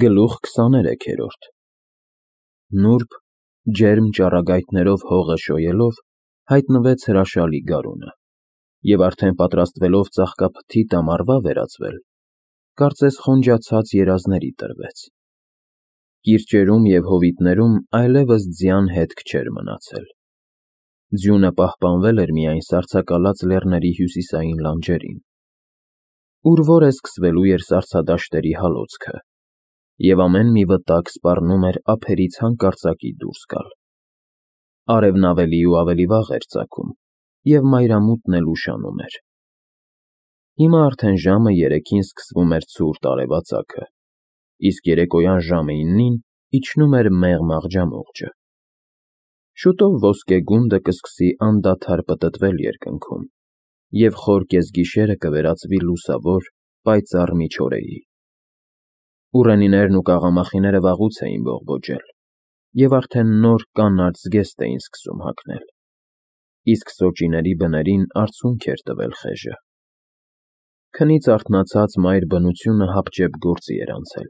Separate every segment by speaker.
Speaker 1: Գլուխ 23-րդ Նուրբ, ջերմ ճառագայթներով հողը շոյելով, հայտնվեց հրաշալի գարունը, և արդեն պատրաստվելով ծաղկափթիթ ամառվա վերածվել, կարծես խոնջացած երազների տրվեց. կիրճերում և հովիտներում այլևս ձյան հետք չէր մնացել, ձյունը պահպանվել էր միայն սառցակալած լեռների հյուսիսային լանջերին, ուր որ է սկսվելու էր սառցադաշտերի հալոցքը, և ամեն մի վտակ սպառնում էր ափերից հանկարծակի դուրս գալ. արևն ավելի ու ավելի վաղ էր ծագում, և մայրամուտն էլ ուշանում էր. հիմա արդեն ժամը 3-ին սկսվում էր ցուրտ արևածագը, իսկ երեկոյան ժամը 9-ին իջնում էր մեղմ աղջամուղջը. շուտով ոսկե գունդը կսկսի անդադար պտտվել երկնքում, և խոր կեսգիշերը կվերածվի լուսավոր, պայծառ միջօրեի. ուռենիներն ու կաղամախիները վաղուց էին բողբոջել, և արդեն նոր կանաչ զգեստ էին սկսում հագնել, իսկ սոճիների բներին արցունք էր տվել խեժը. քնից արթնացած մայր բնությունը հապճեպ գործի էր անցել,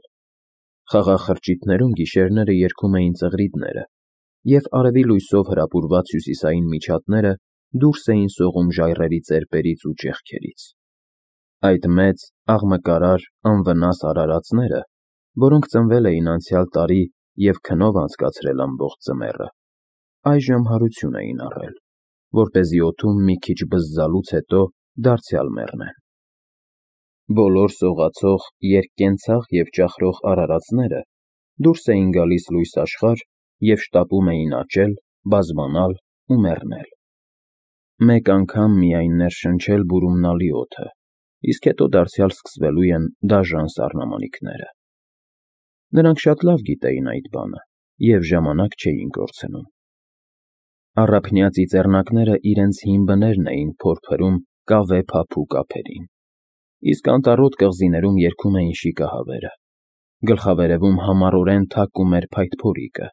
Speaker 1: խաղաղ խրճիթներում գիշերները երգում էին ծղրիդները, և արևի լույսով հրապուրված հյուսիսային միջատները դուրս էին սողում ժայռերի ծեպերից ու ճեղքերից, այդ մեծ, աղմկարար, անվնաս արարածները, որոնք ծնվել էին անցյալ տարի և քնով անցկացրել ամբողջ ձմեռը, այժմ հարություն էին առել, որպեսզի օդում մի քիչ բզզալուց հետո դարձյալ մեռնեն. բոլոր սողացող, երկկենցաղ և ճախրող արարածները դուրս էին գալիս լույս աշխարհ և շտապում էին աճել, բազբանալ ու մեռնել. մեկ անգամ միայն ներշնչել բուրումնալի օդը, իսկ հետո դարձյալ սկսվելու են դաժան սառնամանիքները: Նրանք շատ լավ գիտեին այդ բանը և ժամանակ չէին կորցնում: Առափնյա ծիծեռնակները իրենց հին բներն էին փորփրում կավե փափուկ ափերին, իսկ անտառոտ կղզիներում երգում էին շիկահավերը, գլխավերևում համառորեն թակում էր փայտփորիկը,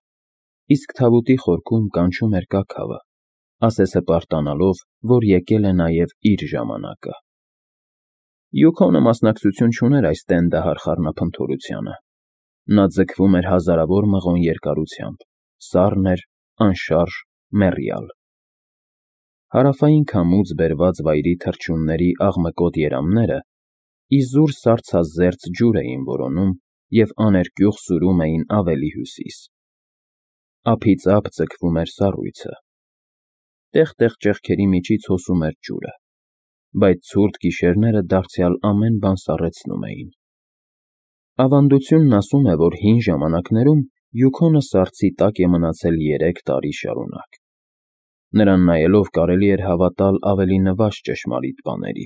Speaker 1: իսկ թավուտի խորքում կանչում էր կաքավը, ասես հպարտանալով, որ եկել է նաև իր ժամանակը: Յուքոնը մասնակցություն չուներ այս տենդահար խառնափնթորությանը, նա ձգվում էր հազարավոր մղոն երկարությամբ, սառն էր, անշարժ, մեռյալ: Հարավային քամուց բերված վայրի թռչունների աղմկոտ երամները իզուր սառցազերծ ջուր էին որոնում և աներկյուղ սուրում էին ավելի հյուսիս: Ափից ափ ձգվում էր սառույցը, տեղ֊տեղ ճեղքերի միջից հոսում էր ջուրը, բայց ցուրտ գիշերները դարձյալ ամեն բան սառեցնում էին: Ավանդությունն ասում է, որ հին ժամանակներում Յուքոնը սառցի տակ է մնացել 3 տարի շարունակ: Նրան նայելով կարելի էր հավատալ ավելի նվազ ճշմարիտ բաների: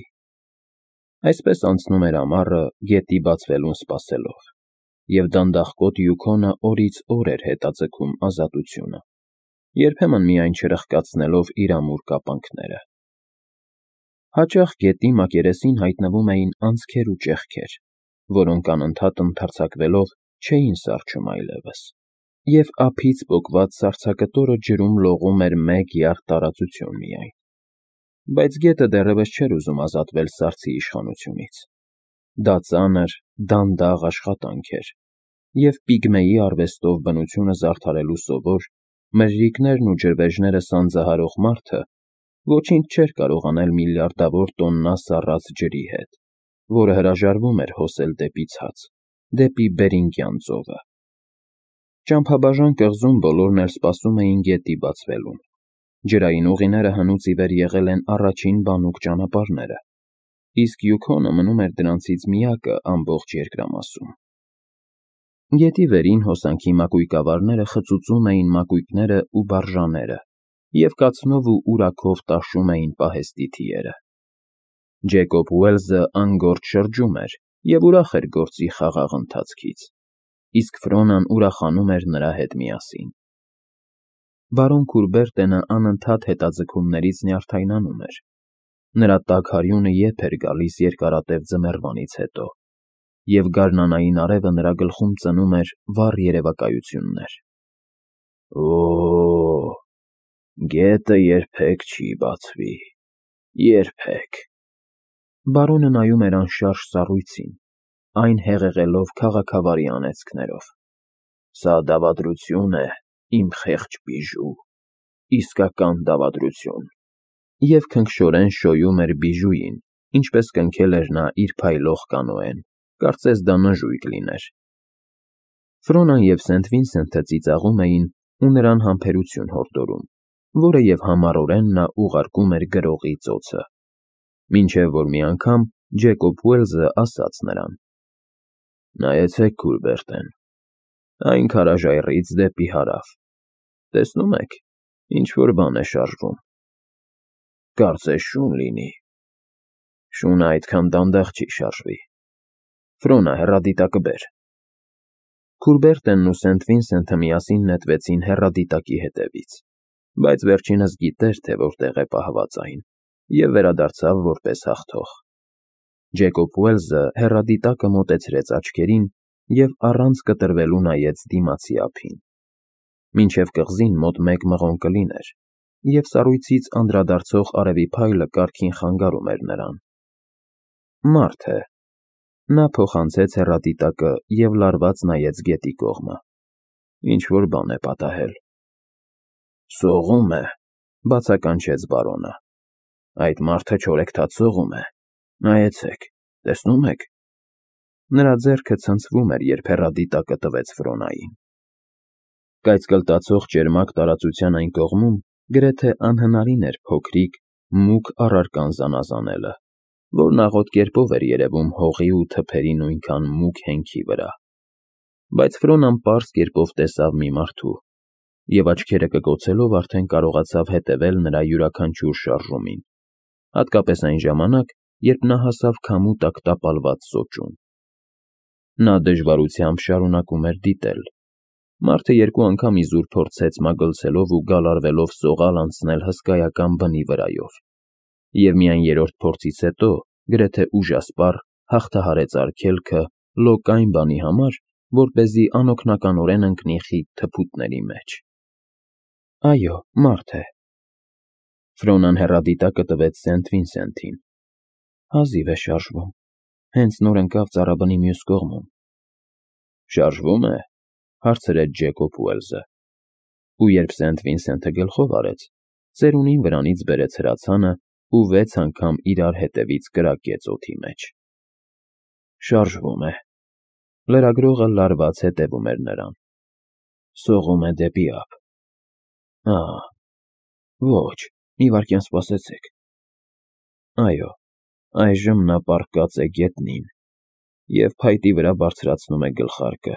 Speaker 1: Այսպես անցնում էր ամառը գետի բացվելուն սպասելով, և դանդաղկոտ Յուքոնը օրից օր էր հետաձգում ազատությունը, երբեմն միայն չրխկացնելով իր ամուր կապանքները: Հաճախ գետի մակերեսին հայտնվում էին անցքեր ու ճեղքեր, որոնք անընդհատ ընդարձակվելով չէին սառչում այլևս, և ափից պոկված սառցակտորը ջրում լողում էր մեկ յարդ տարածություն միայն: Բայց գետը դեռևս չէր ուզում ազատվել սառցի իշխանությունից: Դա ծանր, դանդաղ աշխատանք էր, և պիգմեի արվեստով բնությունը զարդարելու սովոր, մրրիկներն ու ջրվեժները սանձահարող մարդը ոչինչ չէր կարող անել միլիարդավոր տոննա սառած ջրի հետ, որը հրաժարվում էր հոսել դեպի ցած, դեպի Բերինգյան ծովը: Ճամփաբաժան կղզում բոլորն էլ սպասում էին գետի բացվելուն, ջրային ուղիները հնուց ի վեր եղել են առաջին բանուկ ճանապարհները, իսկ Յուքոնը մնում էր դրանցից միակը ամբողջ երկրամասում: Գետի վերին հոսանքի մակույկավարները խծուծում էին մակույկներն ու բարժաները և կացնով ու ուրաքով տաշում էին պահեստի թիերը: Ջեյկոբ Ուելսը անգործ շրջում էր և ուրախ էր գործի խաղաղ ընթացքից, իսկ Ֆրոնան ուրախանում էր նրա հետ միասին: Բարոն Քուրբերտենը անընդհատ հետաձգումներից նյարդայնանում էր, նրա տաք հարյունը ետ էր գալիս երկարատև ձմեռվանից հետո, և գարնանային արևը նրա գլխում ծնում էր վառ երևակայություններ: Օ՜օ, գետը երբեք չի բացվի, երբեք: Բարոնը նայում էր անշարժ սառույցին, այն հեղեղելով քաղաքավարի անեծքներով. «Սա դավադրություն է, իմ խեղճ բիժու, իսկական դավադրություն»։ Եվ քնքշորեն շոյում էր բիժուին, ինչպես կնքել էր նա իր փայլող կանոեն, կարծես դա նժույգ լիներ։ Ֆրոնան և Սենթ Վինսենթը ծիծաղում էին ու նրան համբերություն հորդորում, որը և համառորեն նա ուղարկում էր գրողի ծոցը, մինչև որ մի անգամ Ջեկոբ Ուելզը ասաց նրան. «Նայեցեք, Քուրբերտեն, այն քարաժայռից դեպի հարավ, տեսնում եք, ինչ-որ բան է շարժվում, կարծես շուն լինի, շունը այդքան դանդաղ չի շարժվի, Ֆրոնա, հեռադիտակը բեր»։ Քուրբերտենն ու Սենթ Վինսենթը միասին նետվեցին հեռադիտակի հետևից, բայց վերջինս գիտեր, թե որտեղ է պահված այն, և վերադարձավ որպես հաղթող։ Ջեկոբ Ուելզը հեռադիտակը մոտեցրեց աչքերին և առանց կտրվելու նայեց դիմացի ափին, մինչև կղզին մոտ 1 մղոն կլիներ, և սառույցից անդրադարձող արևի փայլը կառքին խանգարում էր նրան։ Մարդ է։ Նա փոխանցեց հեռադիտակը և լարված նայեց գետի կողմը։ Ինչ-որ բան է պատահել։ «Սողում է», բացականչեց բարոնը։ «Այդ մարդը չորեքթաթ սողում է, նայեցեք, տեսնում եք»։ Նրա ձեռքը ցնցվում էր, երբ հեռադիտակը տվեց Ֆրոնային։ Կայծկլտացող ճերմակ տարածության այն կողմում գրեթե անհնարին էր փոքրիկ, մուգ առարկան զանազանելը, որն աղոտ կերպով էր երևում հողի ու թփերի նույնքան մուգ հենքի վրա։ Բայց Ֆրոնան պարզ կերպով տեսավ մի մարդու, և աչքերը կկոցելով արդեն կարողացավ հետևել նրա յուրաքանչյուր շարժումին, հատկապես այն ժամանակ, երբ նա հասավ քամու տակ տապալված սոճուն։ Նա դժվարությամբ շարունակում էր դիտել։ Մարդը 2 անգամ իզուր փորձեց մագլցելով ու գալարվելով սողալ անցնել հսկայական բնի վրայով, և միայն 3-րդ փորձից հետո գրեթե ուժասպառ հաղթահարեց արգելքը լոկայն բանի համար, որպեսզի անօգնականորեն ընկնի խիտ թփուտների մեջ։ Այո, մարդ է։ Ֆրոնան հեռադիտակը տվեց Սենթ Վինսենթին։ Հազիվ է շարժվում, հենց նոր ընկավ ծառաբնի մյուս կողմում։ Շարժվում է, հարցրեց Ջեկոբ Ուելզը, ու երբ Սենթ Վինսենթը գլխով արեց, ծերունին վրանից բերեց հրացանը ու 6 անգամ իրար հետևից կրակեց օդի մեջ։ Շարժվում է։ Լրագրողը լարված հետևում էր նրան։ Սողում է դեպի ափ։ Ոչ, մի վայրկյան սպասեցեք։ Այո, այժմ նա պառկած է գետնին և փայտի վրա բարձրացնում է գլխարկը,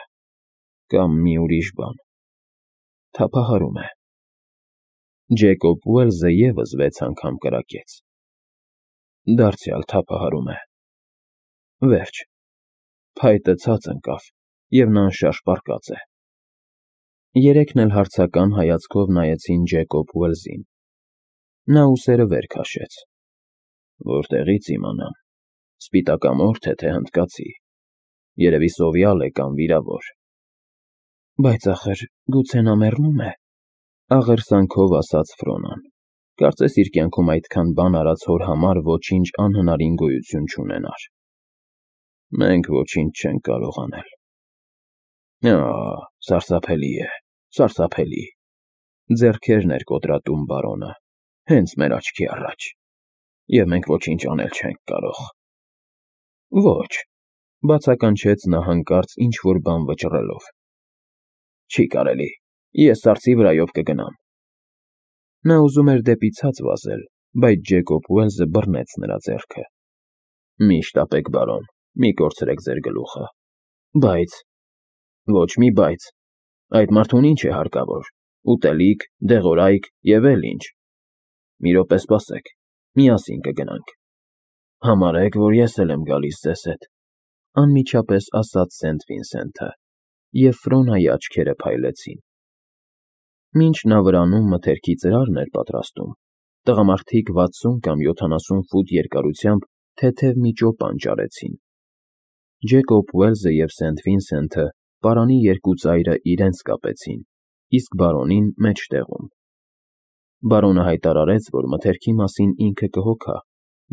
Speaker 1: կամ մի ուրիշ բան, թափահարում է։ Ջեկոբ Ուելզը ևս 6 անգամ կրակեց։ Դարձյալ թափահարում է։ Վերջ։ Փայտը ցած ընկավ, և նա անշարժ պառկած է։ Երեքն էլ հարցական հայացքով նայեցին Ջեկոբ Ուելզին։ Նա ուսերը վեր քաշեց։ Որտեղի՞ց իմանամ, սպիտակամորթ է, թե հնդկացի, երևի սովյալ է կամ վիրավոր։ Բայց ախր գուցե նա մեռնում է, աղերսանքով ասաց Ֆրոնան, կարծես իր կյանքում այդքան բան արած հոր համար ոչինչ անհնարին գոյություն չունենար։ Մենք ոչինչ չենք կարող անել։ Սարսափելի է, սարսափելի։ Ձեռքերն էր կոտրատում բարոնը, հենց մեր աչքի առաջ, և մենք ոչինչ անել չենք կարող։ Ոչ, բացականչեց նա հանկարծ ինչ-որ բան վճռելով։ Չի կարելի, ես սառցի վրայով կգնամ։ Նա ուզում էր դեպի ցած վազել, բայց Ջեկոբ Ուելզը բռնեց նրա ձեռքը։ Մի շտապեք, բարոն, մի կորցրեք ձեր գլուխը։ Բայց… Ոչ մի բայց, այդ մարդուն ինչ է հարկավոր, ուտելիք, դեղորայք և էլ ինչ։ Մի րոպե սպասեք, միասին կգնանք։ Համարեք, որ ես էլ եմ գալիս ձեզ հետ, անմիջապես ասաց Սենթ Վինսենթը, և Ֆրոնայի աչքերը փայլեցին։ Մինչ նա վրանում մթերքի ծրարն էր պատրաստում, տղամարդիկ 60 կամ 70 ֆուտ երկարությամբ թեթև մի ճոպան ճարեցին։ Ջեկոբ Ուելզը և Սենթ Վինսենթը պարանի 2 ծայրը իրենց կապեցին, իսկ բարոնին մեջտեղում։ Բարոնը հայտարարեց, որ մթերքի մասին ինքը կհոգա,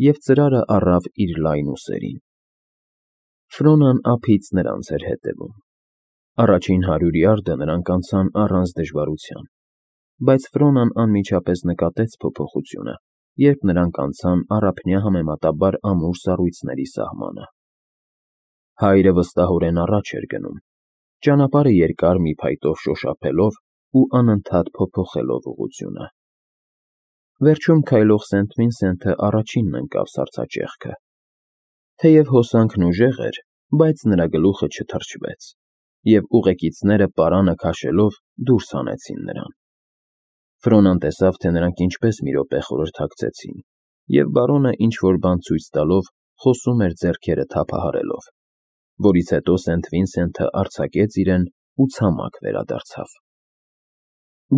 Speaker 1: և ծրարը առավ իր լայն ուսերին։ Ֆրոնան ափից նրանց էր հետևում։ Առաջին 100 յարդը նրանք անցան առանց դժվարության, բայց Ֆրոնան անմիջապես նկատեց փոփոխությունը, երբ նրանք անցան առափնյա համեմատաբար ամուր սառույցների սահմանը։ Հայրը վստահորեն առաջ էր գնում, ճանապարհը երկար մի փայտով շոշափելով ու անընդհատ փոփոխելով ուղղությունը։ Վերջում քայլող Սենթ Վինսենթը առաջինն ընկավ սառցաճեղքը։ Թեև հոսանքն ուժեղ էր, բայց նրա գլուխը չթրջվեց, և ուղեկիցները պարանը քաշելով դուրս հանեցին նրան։ Ֆրոնան տեսավ, թե նրանք ինչպես մի րոպե խորհրդակցեցին, և բարոնը ինչ-որ բան ցույց տալով խոսում էր ձեռքերը թափահարելով, որից հետո Սենթ Վինսենթը արձակեց իրեն ու ցամաք վերադարձավ։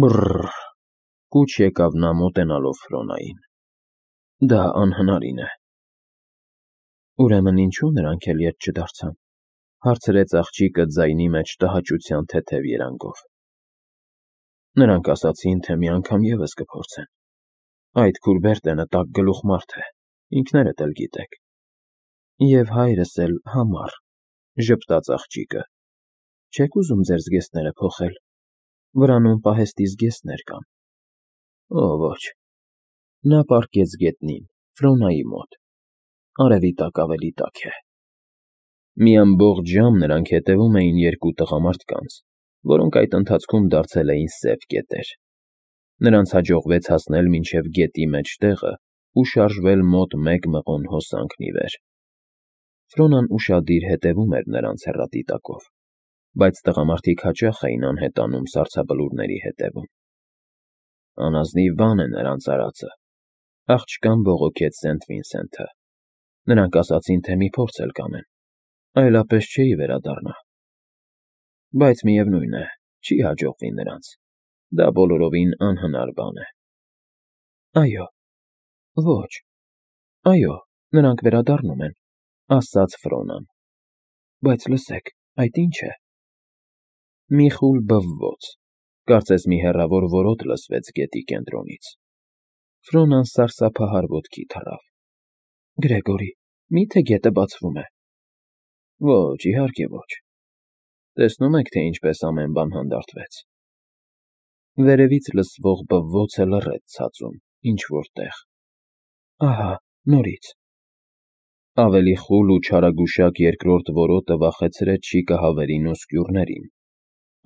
Speaker 1: Բռռ, կուչ եկավ նա մոտենալով Ֆրոնային։ Դա անհնարին է։ Ուրեմն ինչու նրանք էլ ետ չդարձան, հարցրեց աղջիկը ձայնի մեջ տհաճության թեթև երանգով։ Նրանք ասացին, թե մի անգամ ևս կփորձեն։ Այդ Քուրբերտենը տաք գլուխ մարդ է, ինքներդ էլ գիտեք։ Եվ հայրս էլ համառ, ժպտաց աղջիկը։ Չեք ուզում ձեր զգեստները փոխել, վրանում պահեստի զգեստներ կան։ Օ, ոչ։ Նա պառկեց գետնին, Ֆրոնայի մոտ։ Արևի տակ ավելի տաք է։ Մի ամբողջ ժամ նրանք հետևում էին երկու տղամարդկանց, որոնք այդ ընթացքում դարձել էին սև կետեր։ Նրանց հաջողվեց հասնել մինչև գետի մեջտեղը ու շարժվել մոտ 1 մղոն հոսանքն ի վեր։ Ֆրոնան ուշադիր հետևում էր նրանց հեռադիտակով, բայց տղամարդիկ հաճախ էին անհետանում սառցաբլուրների հետևում։ Անազնիվ բան է նրանց արածը, աղջկան բողոքեց Սենթ Վինսենթը։ Նրանք ասացին, թե մի փորձ էլ կանեն, այլապես չէի վերադառնա։ Բայց միևնույն է, չի հաջողվի նրանց։ Դա բոլորովին անհնար բան է։ Այո, ոչ, այո, նրանք վերադառնում են, ասաց Ֆրոնան։ Բայց լսեք, այդ ի՞նչ է։ Մի խուլ բվվոց, կարծես մի հեռավոր որոտ լսվեց գետի կենտրոնից։ Ֆրոնան սարսափահար ոտքի թռավ։ Գրեգորի, մի՞թե գետը բացվում է։ Ոչ, իհարկե ոչ։ Տեսնում եք, թե ինչպես ամեն բան հանդարտվեց։ Վերևից լսվող բվվոցը լռեց ցածում, ինչ-որ տեղ։ Ահա, նորից։ Ավելի խուլ ու չարագուշակ երկրորդ որոտը վախեցրեց շիկահավերին ու սկյուռներին։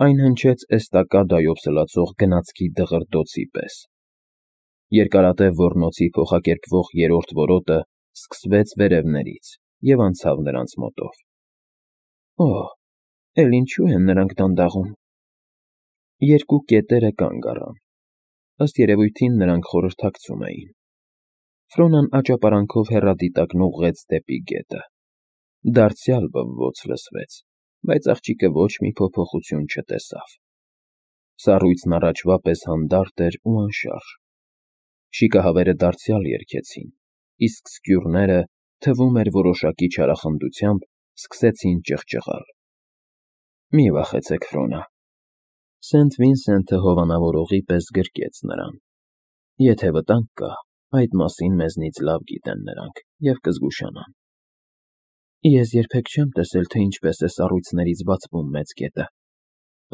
Speaker 1: Այն հնչեց էստակադայով սլացող գնացքի դղրդոցի պես։ Երկարատև ոռնոցի փոխակերպվող երրորդ որոտը սկսվեց վերևներից և անցավ նրանց մոտով։ Օ, էլ ինչու են նրանք դանդաղում։ Երկու կետերը կանգ առան։ Ըստ երևույթին նրանք խորհրդակցում էին։ Ֆրոնան աճապարանքով հեռադիտակն ուղղեց դեպի գետը։ Դարձյալ բվոց լսվեց, բայց աղջիկը ոչ մի փոփոխություն չտեսավ։ Սառույցն առաջվա պես հանդարտ էր ու անշարժ։ Շիկահավերը դարձյալ երգեցին, իսկ սկյուռները, թվում էր որոշակի չարախնդությամբ, սկսեցին ճղճղալ։ Մի վախեցեք, Ֆրոնա։ Սենթ Վինսենթը հովանավորողի պես գրկեց նրան։ Եթե վտանգ կա, այդ մասին մեզնից լավ գիտեն նրանք և կզգուշանան։ Ես երբեք չեմ տեսել, թե ինչպես է սառույցներից բացվում մեծ գետը,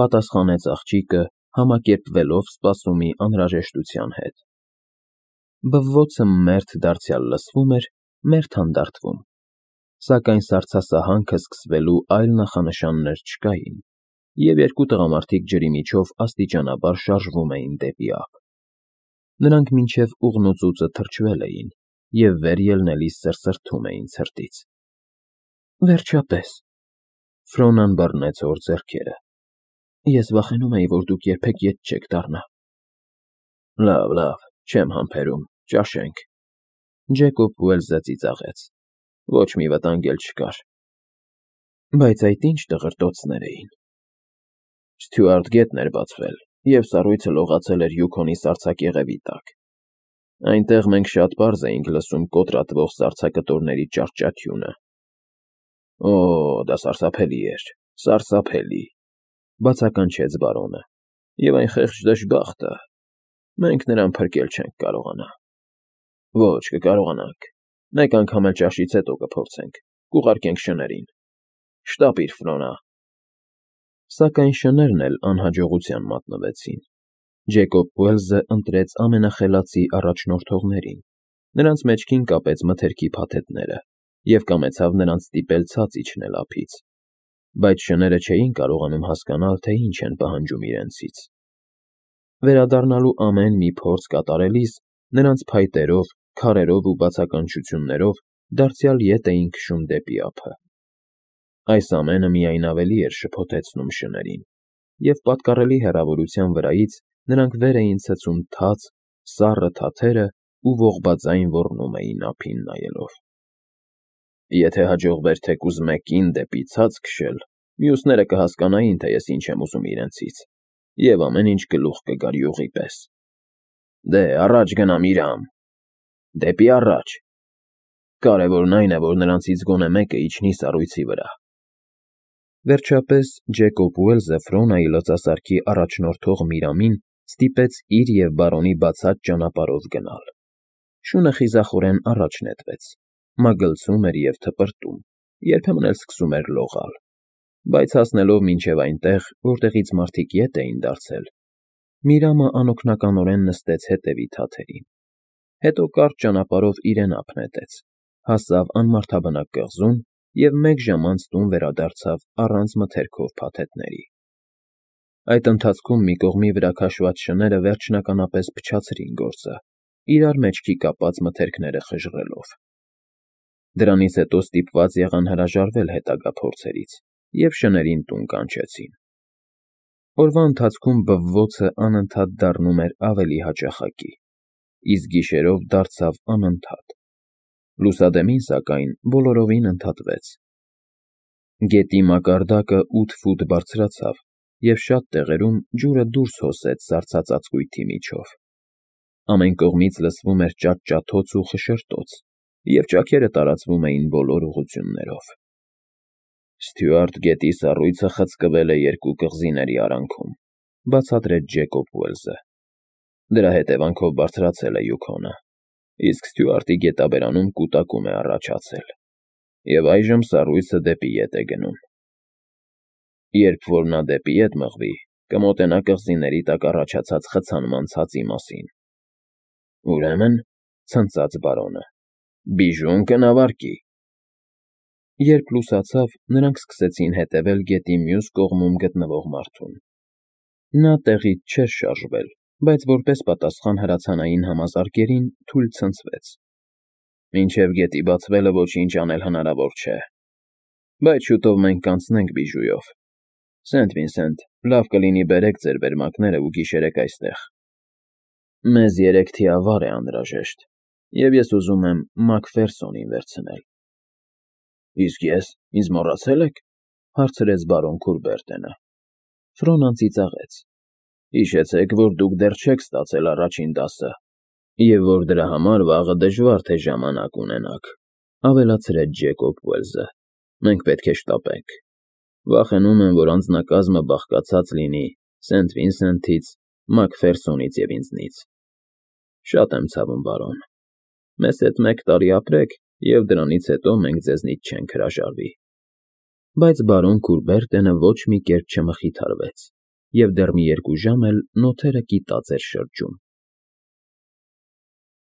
Speaker 1: պատասխանեց աղջիկը, համակերպվելով սպասումի անհրաժեշտության հետ։ Բվոցը մերթ դարձյալ լսվում էր, մերթ հանդարտվում, սակայն սառցասահանքը սկսվելու այլ նախանշաններ չկային, և երկու տղամարդիկ ջրի միջով աստիճանաբար շարժվում էին դեպի ափ։ Նրանք մինչև ուղնուծուծը թրջվել էին և վեր ելնելիս սրսրթում էին ցրտից։ Վերջապես, Ֆրոնան բռնեց հոր ձեռքերը։ Ես վախենում էի, որ դուք երբեք ետ չեք դառնա։ Լավ, լավ, չեմ համբերում, ճաշենք։ Ջեկոբ Ուելսը ծիծաղեց։ Ոչ մի վտանգ էլ չկար։ Բայց այդ ինչ դղրդոցներ էին։ Ստյուարտ գետն էր բացվել, և սառույցը լողացել էր Յուքոնի սառցակեղևի տակ։ Այնտեղ մենք շատ պարզ էինք լսում կոտրատվող սառցակտորների ճահճաթյունը։ Օ, դա սարսափելի էր, սարսափելի, բացականչեց բարոնը։ Եվ այն խեղճ դժբախտը, մենք նրան փրկել չենք կարողանա։ Ոչ, կկարողանանք։ Մեկ անգամ էլ ճաշից հետո կփորձենք, կուղարկենք շներին։ Շտապիր, Ֆրոնա։ Սակայն շներն էլ անհաջողության մատնվեցին։ Ջեյկոբ Ուելզը ընտրեց ամենախելացի առաջնորդողներին, նրանց մեջքին կապեց մթերքի փաթեթները և կամեցավ նրանց ստիպել ցած իջնել ափից, բայց շները չէին կարողանում հասկանալ, թե ինչ են պահանջում իրենցից։ Վերադառնալու ամեն մի փորձ կատարելիս նրանց փայտերով, քարերով ու բացականչություններով դարձյալ ետ էին քշում դեպի ափը։ Այս ամենը միայն ավելի էր շփոթեցնում շներին, և պատկառելի հեռավորության վրայից նրանք վեր էին ցցում թաց, սառը թաթերը ու ողբաձայն ոռնում էին ափին նայելով։ Եթե հաջողվեր թեկուզ մեկին դեպի ցած քշել, մյուսները կհասկանային, թե ես ինչ եմ ուզում իրենցից, և ամեն ինչ գլուխ կգար յուղի պես։ Դե, առաջ գնամ, Իրամ, դեպի առաջ։ Կարևորն այն է, որ նրանցից գոնե մեկը իջնի սառույցի վրա։ Վերջապես Ջեյկոբ Ուելզը Ֆրոնայի լծասարքի առաջնորդող Միրամին ստիպեց իր և բարոնի բացած ճանապարհով գնալ։ Շունը խիզախորեն առաջ նետվեց, մագլցում էր և թպրտում, երբեմն էլ սկսում էր լողալ, բայց հասնելով մինչև այնտեղ, որտեղից մարդիկ ետ էին դարձել, Միրամը անօգնականորեն նստեց հետևի թաթերին, հետո կարճ ճանապարհով իրեն ափ նետեց, հասավ անմարդաբնակ կղզուն և մեկ ժամ անց տուն վերադարձավ առանց մթերքով փաթեթների։ Այդ ընթացքում մի կողմի վրա քաշված շները վերջնականապես փչացրին գործը, իրար մեջքի կապած մթերքները խժռելով։ Դրանից հետո ստիպված եղան հրաժարվել հետագա փորձերից և շներին տուն կանչեցին։ Օրվա ընթացքում բվոցը անընդհատ դառնում էր ավելի հաճախակի, իսկ գիշերով դարձավ անընդհատ։ Լուսադեմին, սակայն, բոլորովին ընդհատվեց։ Գետի մակարդակը 8 ֆուտ բարձրացավ, և շատ տեղերում ջուրը դուրս հոսեց սառցածածկույթի միջով։ Ամեն կողմից լսվում էր ճաճաթոց ու խշշտոց, և ճաքերը տարածվում էին բոլոր ուղղություններով։ Ստյուարտ գետի սառույցը խցկվել է երկու կղզիների արանքում, բացատրեց Ջեյկոբ Ուելզը։ Դրա հետևանքով բարձրացել է Յուքոնը, իսկ Ստյուարտի գետաբերանում կուտակում է առաջացել, և այժմ սառույցը դեպի ետ է գնում։ Երբ որ նա դեպի ետ մղվի, կմոտենա կղզիների տակ առաջացած խցանման ցածի մասին։ Ուրեմն, ցնծաց բարոնը, բիժուն կնավարկի։ Երբ լուսացավ, նրանք սկսեցին հետևել գետի մյուս կողմում գտնվող մարդուն։ Նա տեղից չէր շարժվել, բայց որպես պատասխան հրացանային համազարկերին թույլ ցնցվեց։ Մինչև գետի բացվելը ոչինչ անել հնարավոր չէ, բայց շուտով մենք կանցնենք բիժուով։ Սենթ Վինսենտ, լավ կլինի բերեք ձեր վերմակները ու գիշերեք այստեղ։ Մեզ 3 թիավար է անհրաժեշտ, և ես ուզում եմ Մակֆերսոնին վերցնել։ Իսկ ես, ինձ մոռացե՞լ եք,֊ հարցրեց բարոն Քուրբերտենը։ Ֆրոնան ծիծաղեց։ Հիշեցեք, որ դուք դեռ չեք ստացել առաջին դասը, և որ դրա համար վաղը դժվար թե ժամանակ ունենաք,֊ ավելացրեց Ջեյկոբ Ուելզը։ Մենք պետք է շտապենք։ Վախենում եմ, որ անձնակազմը բաղկացած լինի Սենթ Վինսենթից, Մակֆերսոնից և ինձնից։ Շատ եմ ցավում, բարոն։ Մեզ հետ 1 տարի ապրեք, և դրանից հետո մենք ձեզնից չենք հրաժարվի։ Բայց բարոն Քուրբերտենը ոչ մի կերպ չմխիթարվեց, և դեռ մի 2 ժամ էլ նոթերը կիտած էր շրջում։